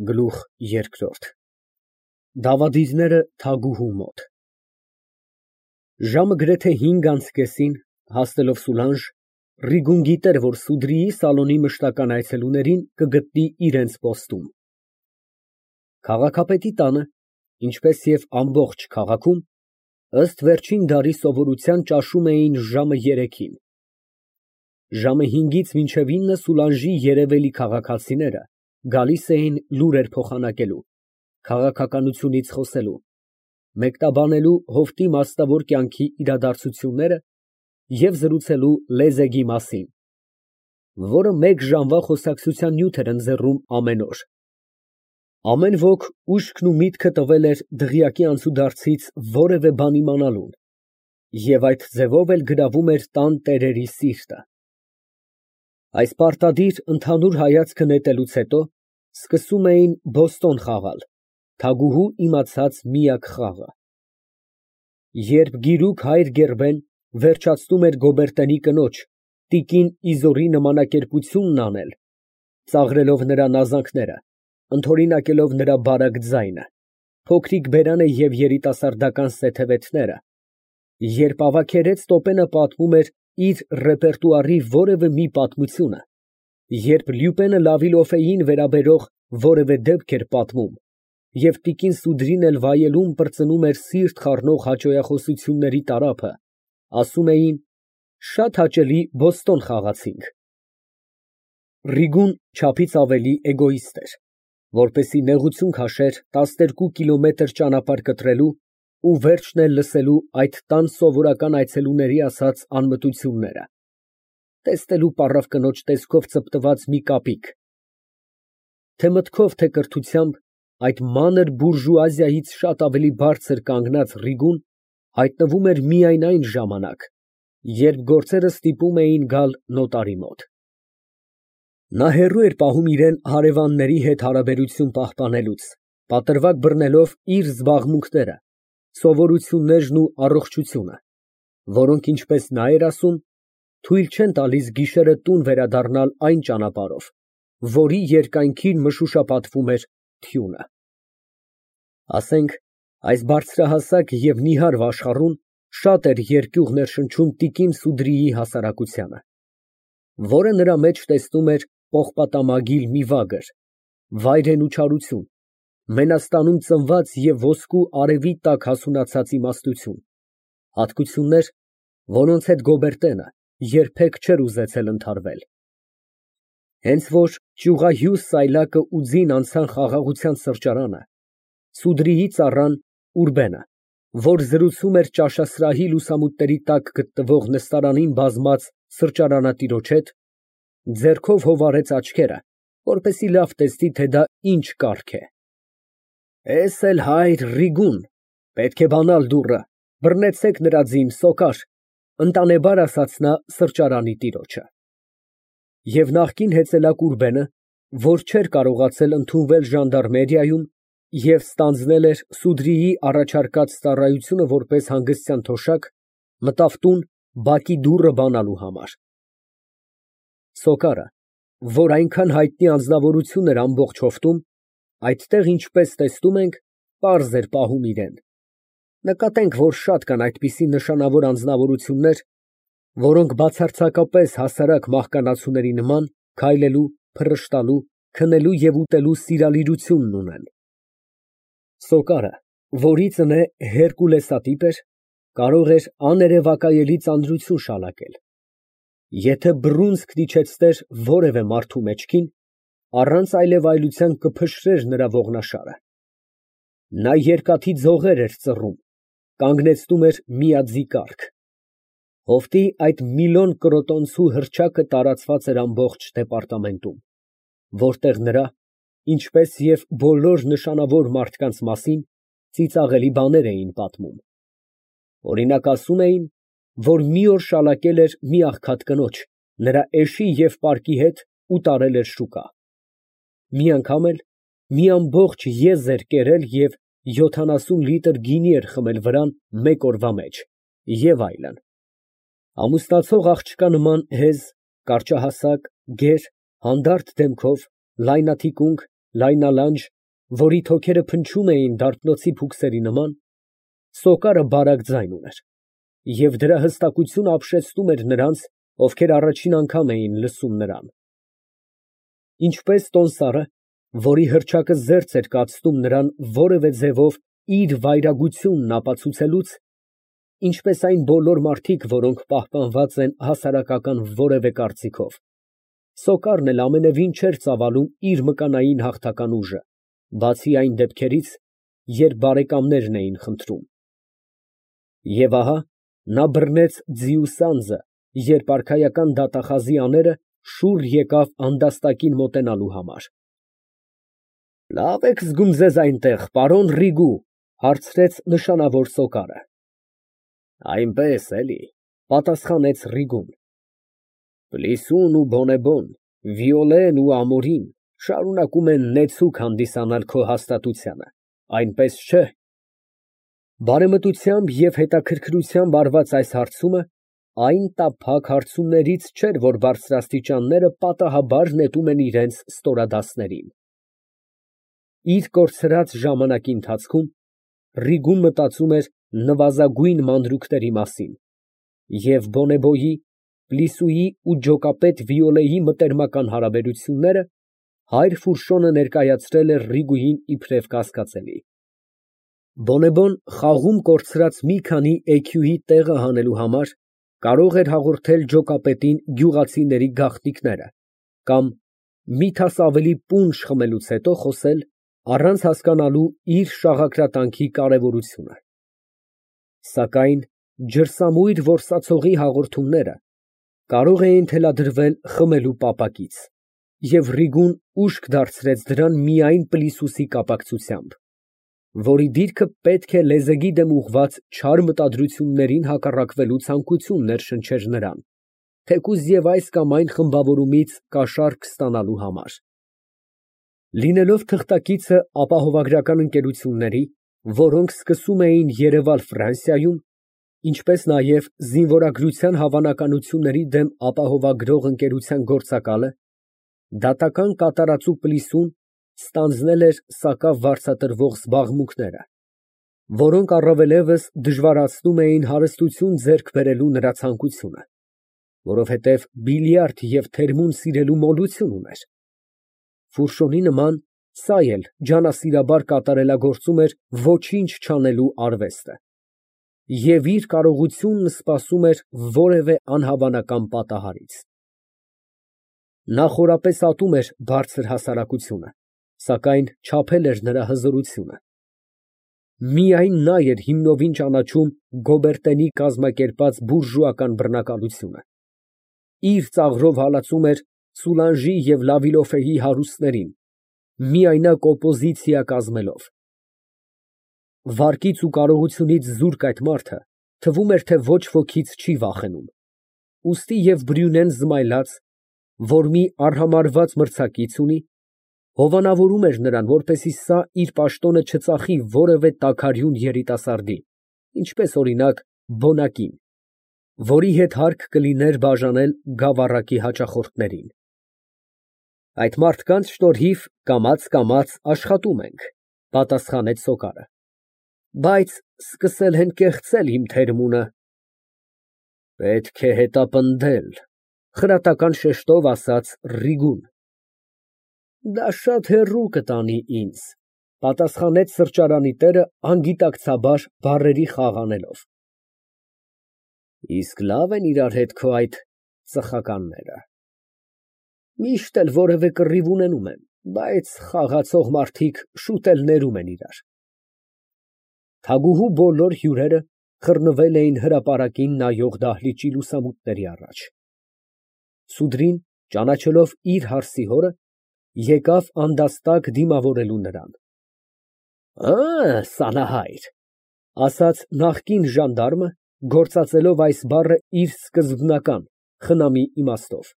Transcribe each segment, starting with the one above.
Գլուխ երկրորդ Դավադիրները թագուհու մոտ Ժամը գրեթե 5:30 հասնելով Սուլանջ, Ռիգուն գիտեր, որ Սուդրիի սալոնի մշտական այցելուներին կգտնի իրենց պոստում։ Քաղաքապետի տանը, ինչպես և ամբողջ քաղաքում, ըստ վերջին դարի սովորության ճաշում էին ժամը 3-ին։ Ժամը 5-ից մինչև 9 Սուլանժի երևելի քաղաքացիները գալիս էին լուրեր փոխանակելու, քաղաքականությունից խոսելու, մեկնաբանելու հովտի մասնավոր կյանքի իրադարձությունները և զրուցելու լեզեգի մասին, որը մեկ ժամվա խոսակցության նյութ էր ընձեռում ամեն օր։ Ամեն ոք ուշքն ու միտքը տվել էր դղյակի անցուդարձից որևէ բան իմանալուն և այդ ձևով էլ գրավում էր տան տերերի սիրտը։ Այս պարտադիր ընդհանուր հայացքը նետելուց հետո սկսում էին բոստոն խաղալ, թագուհու իմացած միակ խաղը։ Երբ գիրուկ հայր Գերբեն վերջացնում էր Գոբերտենի կնոջ՝ տիկին Իզորի նմանակերպությունն անել, ծաղրելով նրա նազանքները, ընդօրինակելով նրա բարակ ձայնը, փոքրիկ բերանը և երիտասարդական սեթևեթները, երբ ավագերես Տոպենը պատմում էր իր ռեպերտուարի որևէ մի պատմությունը, երբ Լյուպենը Լավիլոֆեին վերաբերող որևէ դեպք էր պատմում, և տիկին Սուդրին էլ վայելում պրծնում էր սիրտ խառնող հաճոյախոսությունների տարափը, ասում էին. «Շատ հաճելի բոստոն խաղացինք»։ Ռիգուն չափից ավելի էգոիստ էր, որպեսզի նեղություն քաշեր 12 կիլոմետր ճանապարհ կտրելու ու վերջն էլ լսելու այդ տան սովորական այցելուների ասած անմտությունները, տեսնելու պառավ կնոջ տեսքով ծպտված մի կապիկ, թե մտքով, թե կրթությամբ, այդ մանր բուրժուազիայից շատ ավելի բարձր կանգնած Ռիգուն հայտնվում էր միայն այն ժամանակ, երբ գործերը ստիպում էին գալ նոտարի մոտ։ Նա հեռու էր պահում իրան հարևանների հետ հարաբերություն պահպանելուց, պատրվակ բռնելով իր զբաղմունքները, սովորություններն ու առողջությունը, որոնք, ինչպես նա էր ասում, թույլ չեն տալիս գիշերը տուն վերադառնալ այն ճանապարհով, որի երկայնքին մշուշապատվում էր թյունը։ Ասենք, այս բարձրահասակ և նիհար վաշխառուն շատ էր երկյուղ ներշնչում տիկին Սուդրիի հասարակությանը, որը նրա մեջ տեսնում էր պողպատամագիլ մի վագր, վայրենու չարություն, Մենաստանում ծնված և ոսկու արևի տակ հասունացած իմաստություն, հատկություններ, որոնց հետ Գոբերտենը երբեք չէր ուզեցել ընդհարվել։ Հենց որ ճյուղահյուս սայլակը ու ձին անցան խաղաղության սրճարանը, Սուդրիի ծառան Ուրբենը, որ զրուցում էր ճաշասրահի լուսամուտների տակ գտնվող նստարանին բազմած սրճարանատիրոջ հետ, ձեռքով հովարեց աչքերը, որպեսզի լավ տեսնի, թե դա ինչ կարգ է։ Էս էլ հայր Ռիգուն, պետք է բանալ դուռը, բռնեցեք նրա ձին, սոկար, ընտանեբար ասաց նա սրճարանի տիրոջը։ Եվ նախկին հեծելակ Ուրբենը, որ չէր կարողացել ընդունվել ժանդարմերիայում և ստանձնել էր Սուդրիի առաջարկած ծառայությունը որպես հանգստյան թոշակ, մտավ տուն բակի դուռը բանալու համար։ Սոկարը, որ այնքան հայտնի անձնավորություն էր ամբողջ հովտում, այդտեղ, ինչպես տեսնում ենք, պարզ էր պահում իրան։ Նկատենք, որ շատ կան այդպիսի նշանավոր անձնավորություններ, որոնք բացարձակապես հասարակ մահկանացուների նման քայլելու, փռշտալու, քնելու և ուտելու սիրալիրությունն ունեն։ Սոկարը, որի ծնե հերկուլեսատիպ էր, կարող էր աներևակայելի ծանրություն շալակել։ Եթե բռունցքն իջեցներ որևէ մարդու մեջքին, առանց այլևայլության կփշրեր նրա ողնաշարը։ Նա երկաթի ձողեր էր ծռում, կանգնեցնում էր միաձի կառք։ Հովտի այդ միլիոն կրոտոնցու հռչակը տարածված էր ամբողջ դեպարտամենտում, որտեղ նրա, ինչպես և բոլոր նշանավոր մարդկանց մասին, ծիծաղելի բաներ էին պատմում։ Օրինակ, ասում էին, որ մի օր շալակել էր մի աղքատ կնոջ, նրա էշի և պարկի հետ ու տարել էր շուկա։ Մի անգամ էլ մի ամբողջ եզ էր կերել և 70 լիտր գինի էր խմել վրան մեկ օրվա մեջ և այլն։ Ամուսնացող աղջկա նման հեզ, կարճահասակ, գեր, հանդարտ դեմքով, լայնաթիկունք, լայնալանջ, որի թոքերը փնչում էին դարբնոցի փուքսերի նման, սոկարը բարակ ձայն ուներ, և դրա հստակությունը ապշեցնում էր նրանց, ովքեր առաջին անգամ էին լսում նրան։ Ինչպես տոնսառը, որի հռչակը զերծ էր կացնում նրան որևէ ձևով իր վայրագությունն ապացուցելուց, ինչպես այն բոլոր մարդիկ, որոնք պահպանված են հասարակական որևէ կարծիքով, սոկարն էլ ամենևին չէր ծավալում իր մկանային հաղթական ուժը, բացի այն դեպքերից, երբ բարեկամներն էին խնդրում։ Եվ ահա նա բռնեց ձիու սանձը, երբ արքայական դատախազի աները շուռ եկավ անդաստակին մոտենալու համար։ ֊ Լավ եք զգում ձեզ այնտեղ, պարոն Ռիգու, ֊ հարցրեց նշանավոր սոկարը։ ֊ Այնպես էլի, ֊ պատասխանեց Ռիգուն։ ֊ Պլիսուն ու Բոնեբոն, Վիոլեն ու Ամորին շարունակում են նեցուկ հանդիսանալ քո հաստատությանը, այնպես չէ՞։ Բարեմտությամբ և հետաքրքրությամբ արված այս հարցումը այն տափակ հարցումներից չէր, որ բարձրաստիճանները պատահաբար նետում են իրենց ստորադասներին։ Իր կորցրած ժամանակի ընթացքում Ռիգուն մտածում էր նվազագույն մանրուքների մասին և Բոնեբոյի, Պլիսուի ու ջոկապետ Վիոլեի մտերմական հարաբերությունները հայր Ֆուրշոնը ներկայացրել էր Ռիգուին իբրև կասկածելի։ Բոնեբոն խաղում կորցրած մի քանի էքյուի տեղը հանելու համար կարող էր հաղորդել ջոկապետին գյուղացիների գաղտնիքները կամ մի թաս ավելի պունջ խմելուց հետո խոսել, առանց հասկանալու իր շաղակրատանքի կարևորությունը։ Սակայն ջրսամույր որսացողի հաղորդումները կարող էին թելադրվել խմելու պապակից, և Ռիգուն ուշք դարձրեց դրան միայն Պլիսուսի կապակցությամբ, որի դիրքը պետք է լեզեգի դեմ ուղղված չար մտադրություններին հակառակվելու ցանկություն ներշնչեր նրան, թեկուզ և այս կամ այն խմբավորումից կաշառք ստանալու համար։ Լինելով թղթակիցը ապահովագրական ընկերությունների, որոնք սկսում էին երևալ Ֆրանսիայում, ինչպես նաև զինվորագրության հավանականությունների դեմ ապահովագրող ընկերության գործակալը, դատական կատարածու Պլիսուն ստանձնել էր սակավ վարձատրվող զբաղմունքները, որոնք առավելևս դժվարացնում էին հարստություն ձեռք բերելու նրա ցանկությունը, որովհետև բիլիարդ և թերմուն սիրելու մոլություն ուներ։ Ֆուրշոնի նման սա էլ ջանասիրաբար կատարելագործում էր ոչինչ չանելու արվեստը և իր կարողությունն սպասում էր որևէ անհավանական պատահարից։ Նա խորապես ատում էր բարձր հասարակությունը, սակայն չափել էր նրա հզորությունը։ Միայն նա էր հիմնովին ճանաչում Գոբերտենի կազմակերպած բուրժուական բռնակալությունը։ Իր ծաղրով հալածում էր Սուլանժի և Լավիլոֆեի հարուստներին, միայնակ օպոզիցիա կազմելով։ Վարկից ու կարողությունից զուրկ այդ մարդը թվում էր, թե ոչ ոքից չի վախենում, ուստի և Բրյունեն զմայլած, որ մի արհամարհված մրցակից ունի, հովանավորում էր նրան, որպեսզի սա իր պաշտոնը չծախի որևէ տաքարյուն երիտասարդի, ինչպես օրինակ բոնակին, որի հետ հարկ կլիներ բաժանել գավառակի հաճախորդներին։ Այդ մարդկանց շնորհիվ կամաց աշխատում ենք, ֊ պատասխանեց սոկարը, ֊ բայց սկսել են կեղծել իմ թերմունը։ Պետք է հետապնդել, ֊ խրատական շեշտով ասաց Ռիգուն։ Դա շատ հեռու կտանի ինձ, ֊ պատասխանեց սրճարանի տերը անգիտակցաբար բառերի խաղ անելով։ Իսկ լավ են իրար հետ քո այդ ծխականները։ Միշտ էլ որևէ կռիվ ունենում են, բայց խաղացող մարդիկ շուտ էլ ներում են իրար։ Թագուհու բոլոր հյուրերը խռնվել էին հրապարակին նայող դահլիճի լուսամուտների առաջ։ Սուդրին, ճանաչելով իր հարսի հորը, եկավ անդաստակ դիմավորելու նրան։ Սանահայր, ֊ ասաց նախկին ժանդարմը, գործածելով այս բառը իր սկզբնական, խնամի իմաստով։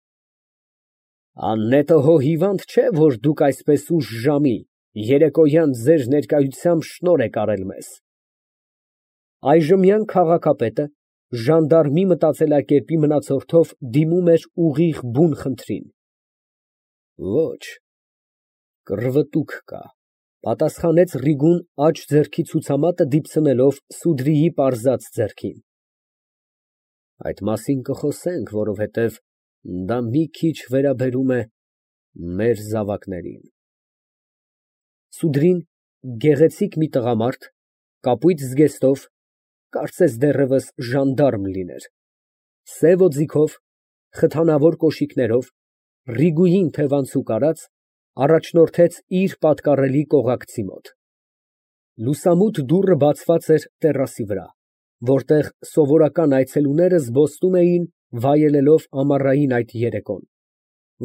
Աննետը հո հիվանդ չէ, որ դուք այսպես ուշ ժամի, երեկոյան ձեր ներկայությամբ շնորհ եք արել մեզ։ Այժմյան քաղաքապետը ժանդարմի մտածելակերպի մնացորդով դիմում էր ուղիղ բուն խնդրին։ Ոչ, Կռվտուք կա, պատասխանեց Ռիգուն աջ ձեռքի ցուցամատը դիպցնելով Սուդրիի պարզած ձեռքին։ Այդ մասին կխոսենք, որովհետև դա մի քիչ վերաբերում է մեր զավակներին։ Սուդրին գեղեցիկ մի տղամարդ, կապույտ զգեստով, կարծես դեռևս ժանդարմ լիներ, սև օձիքով, խթանավոր կոշիկներով, Ռիգուին թևանցուկ արած, առաջնորդեց իր պատկառելի կողակցի մոտ։ Լուսամուտ դուռը բացված էր տերասի վրա, որտեղ սովորական այցելուները զբոսնում էին, վայելելով ամառային այդ երեկոն,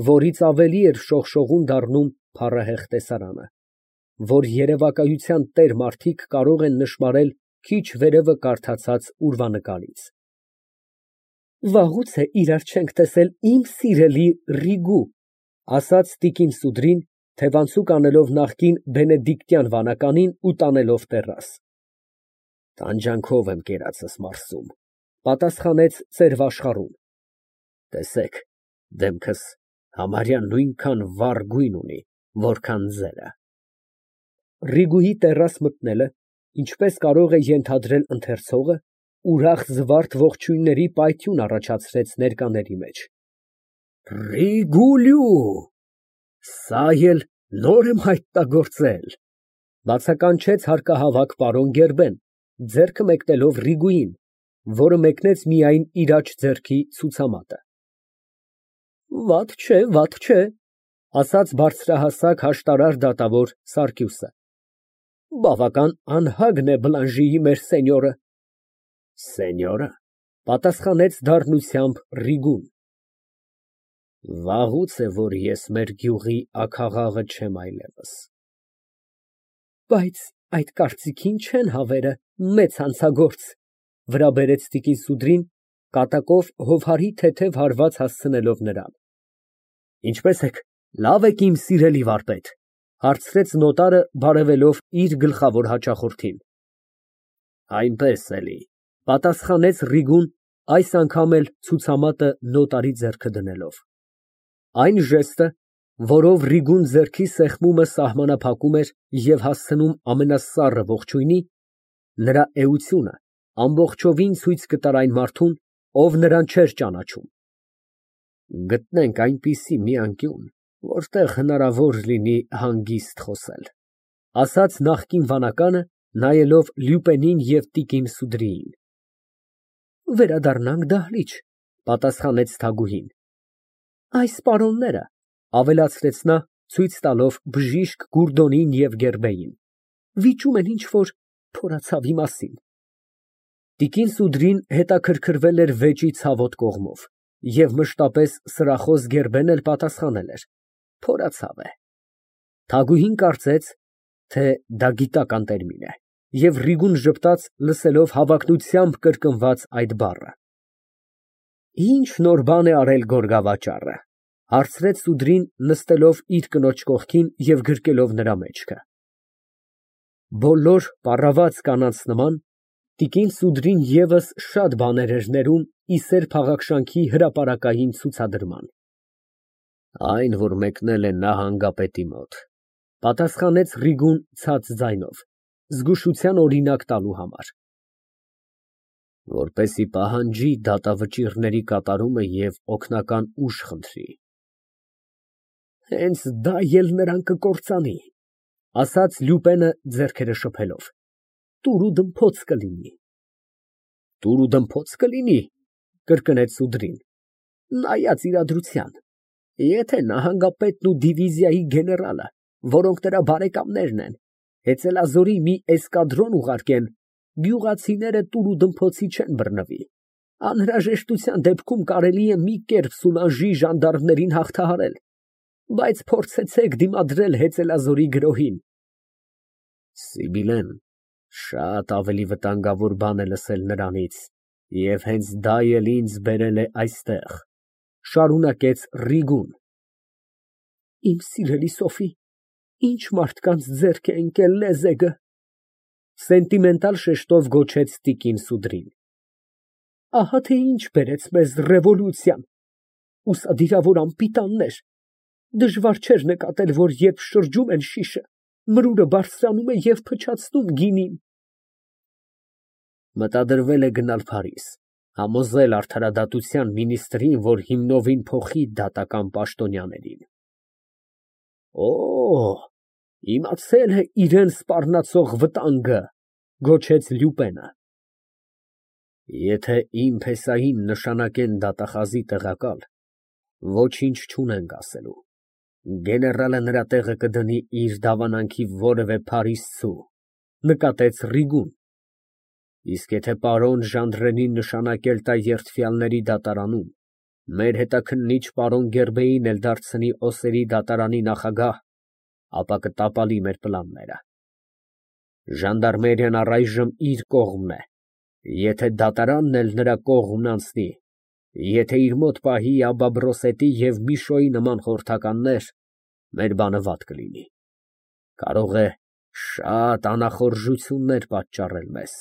որից ավելի էր շողշողուն դառնում փառահեղ տեսարանը, որ երևակայության տեր մարդիկ կարող են նշմարել քիչ վերևը կարդացած ուրվանկարից։ Վաղուց է իրար չենք տեսել, իմ սիրելի Ռիգու, ասաց տիկին Սուդրին, թևանցուկ անելով նախկին բենեդիկտյան վանականին ու տանելով տեռաս։ Տանջանքով եմ կերածս մարսում, պատասխանեց ծերվաշխառուն։ Տեսեք, դեմքս համարյա նույնքան վառ գույն ունի, որքան ձերը։ Ռիգուի տեռաս մտնելը, ինչպես կարող է ենթադրել ընթերցողը, ուրախ զվարթ ողջույնների պայթյուն առաջացրեց ներկաների մեջ։ Ռիգուլյու, սա էլ նոր եմ հայտնագործել, բացականչեց հարկահավաք պարոն Գերբեն, ձեռքը մեկնելով Ռիգուին, որը մեկնեց միայն իր աջ ձեռքի ցուցամատը։ Վատ չէ, ասաց բարձրահասակ հաշտարար դատավոր Սարգիսը։ Բավական անհագն է Բլանժիի մեր սենյորը։ Սենյորը, պատասխանեց դառնությամբ Ռիգուն։ Վաղուց է, որ ես մեր գյուղի աքաղաղը չեմ այլևս։ Բայց այդ կարծիքին չեն հավերը, մեծ հանցագործ, վրա բերեց տիկին Սուդրին, կատակով հովհարի թեթև հարված հասցնելով նրան։ Ինչպես եք, լավ եք իմ սիրելի վարպետ, հարցրեց նոտարը բարևելով իր գլխավոր հաճախորդին։ Այնպես էլի, պատասխանեց Ռիգուն, այս անգամ էլ ցուցամատը նոտարի ձեռքը դնելով։ Այն ժեստը, որով Ռիգուն ձեռքի սեղմումը սահմանափակում էր և հասցնում ամենասառը ողջույնի, նրա էությունը ամբողջովին ցույց կտար այն մարդուն, ով նրան չէր ճանաչում։ Գտնենք այնպիսի մի անկյուն, որտեղ հնարավոր լինի հանգիստ խոսել, ասաց նախկին վանականը, նայելով Լյուպենին և տիկին Սուդրիին։ Վերադառնանք դահլիճ, պատասխանեց Թագուհին։ Այս պարոնները, ավելացրեց նա, ցույց տալով բժիշկ Գուրդոնին և Գերբեին, վիճում են ինչ֊որ փորացավի մասին։ Տիկին Սուդրին հետաքրքրվել էր վեճի ցավոտ կողմով և մշտապես սրախոս Գերբեն էլ պատասխանել էր. Փորացավ է։ Թագուհին կարծեց, թե դա գիտական տերմին է, և Ռիգուն ժպտաց, լսելով հավակնությամբ կրկնված այդ բառը։ Ինչ նոր բան է արել գորգավաճառը, հարցրեց Սուդրին, նստելով իր կնոջ կողքին և գրկելով նրա մեջքը։ Բոլոր պառաված կանանց նման, տիկին Սուդրին ևս շատ բաներ էր ներում ի սեր փաղաքշանքի հրապարակային ցուցադրման։ Այն, որ մեկնել է նահանգապետի մոտ, պատասխանեց Ռիգուն ցած ձայնով, զգուշության օրինակ տալու համար։ Որպեսզի պահանջի դատավճիռների կատարումը և օգնական ուժ խնդրի։ Հենց դա էլ նրան կկործանի, ասաց Լյուպենը ձեռքերը շփելով։ Տուր ու դմփոց կլինի։ Տուր ու դմփոց կլինի, կրկնեց Սուդրին, նայած իրադրության։ Եթե նահանգապետն ու դիվիզիայի գեներալը, որոնք նրա բարեկամներն են, հեծելազորի մի էսկադրոն ուղարկեն, գյուղացիները տուր ու դմփոցի չեն բռնվի։ Անհրաժեշտության դեպքում կարելի է մի կերպ Սուլանժի ժանդարմներին հաղթահարել, բայց փորձեցեք դիմադրել հեծելազորի գրոհին։ Սիբիլեն շատ ավելի վտանգավոր բան է լսել նրանից, և հենց դա էլ ինձ բերել է այստեղ, շարունակեց Ռիգուն։ Իմ սիրելի Սոֆի, ինչ մարդկանց ձեռք է ընկել լեզեգը, սենտիմենտալ շեշտով գոչեց տիկին Սուդրին։ Ահա թե ինչ բերեց մեզ ռևոլյուցիան, ուսադիրավոր անպիտաններ, Դժվար չէր նկատել, որ երբ շրջում են շիշը, մրուրը բարձրանում է և փչացնում գինին։ Մտադրվել է գնալ Փարիզ, համոզել արդարադատության մինիստրին, որ հիմնովին փոխի դատական պաշտոնյաներին։ Օ, իմացել է իրան սպառնացող վտանգը, գոչեց Լյուպենը։ Եթե իմ փեսային նշանակեն դատախազի տեղակալ, ոչինչ չունենք ասելու։ Գեներալը նրա տեղը կդնի իր դավանանքի որևէ փարիզցու, նկատեց Ռիգուն։ Իսկ եթե պարոն Ժանդրենին նշանակել տա երդվյալների դատարանում, մեր հետաքննիչ պարոն Գերբեին էլ դարձնի Օսերի դատարանի նախագահ, ապա կտապալի մեր պլանները։ Ժանդարմերիան առայժմ իր կողմն է, եթե դատարանն էլ նրա կողմն անցնի, եթե իր մոտ պահի Աբաբրոսետի և Միշոյի նման խորհրդականներ, մեր բանը վատ կլինի, կարող է շատ անախորժություններ պատճառել մեզ։